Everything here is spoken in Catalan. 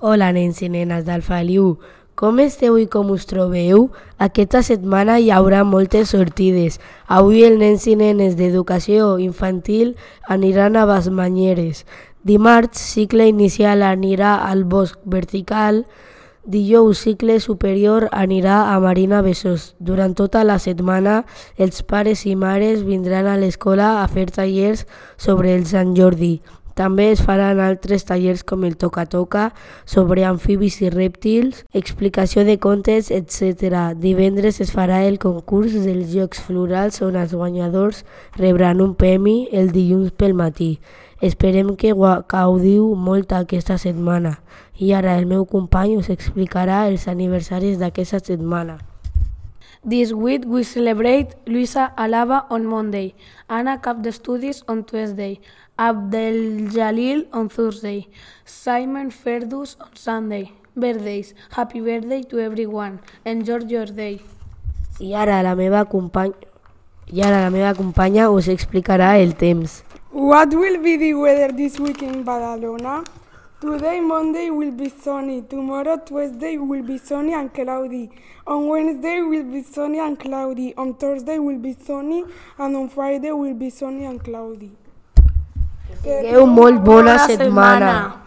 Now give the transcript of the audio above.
Hola, nens i nenes del Feliu. Com esteu i com us trobeu? Aquesta setmana hi haurà moltes sortides. Avui els nens i nenes d'educació infantil aniran a Basmanyeres. Dimarts, cicle inicial anirà al Bosc Vertical. Dijous, cicle superior anirà a Marina Besòs. Durant tota la setmana, els pares i mares vindran a l'escola a fer tallers sobre el Sant Jordi. També es faran altres tallers com el toca-toca, sobre amfibis i rèptils, explicació de contes, etc. Divendres es farà el concurs dels Jocs Florals on els guanyadors rebran un premi el dilluns pel matí. Esperem que gaudiu molt aquesta setmana. I ara el meu company us explicarà els aniversaris d'aquesta setmana. This week we celebrate Luisa Alaba on Monday, Anna Cap Studies on Tuesday, Abdel Jalil on Thursday, Simon Ferdous on Sunday. Birthdays. Happy birthday to everyone. Enjoy your day. I ara la meva companya us explicarà el temps. What will be the weather this week in Badalona? Today, Monday, will be sunny. Tomorrow, Tuesday, will be sunny and cloudy. On Wednesday, will be sunny and cloudy. On Thursday, will be sunny. And on Friday, will be sunny and cloudy. Que tingueu molt bona setmana.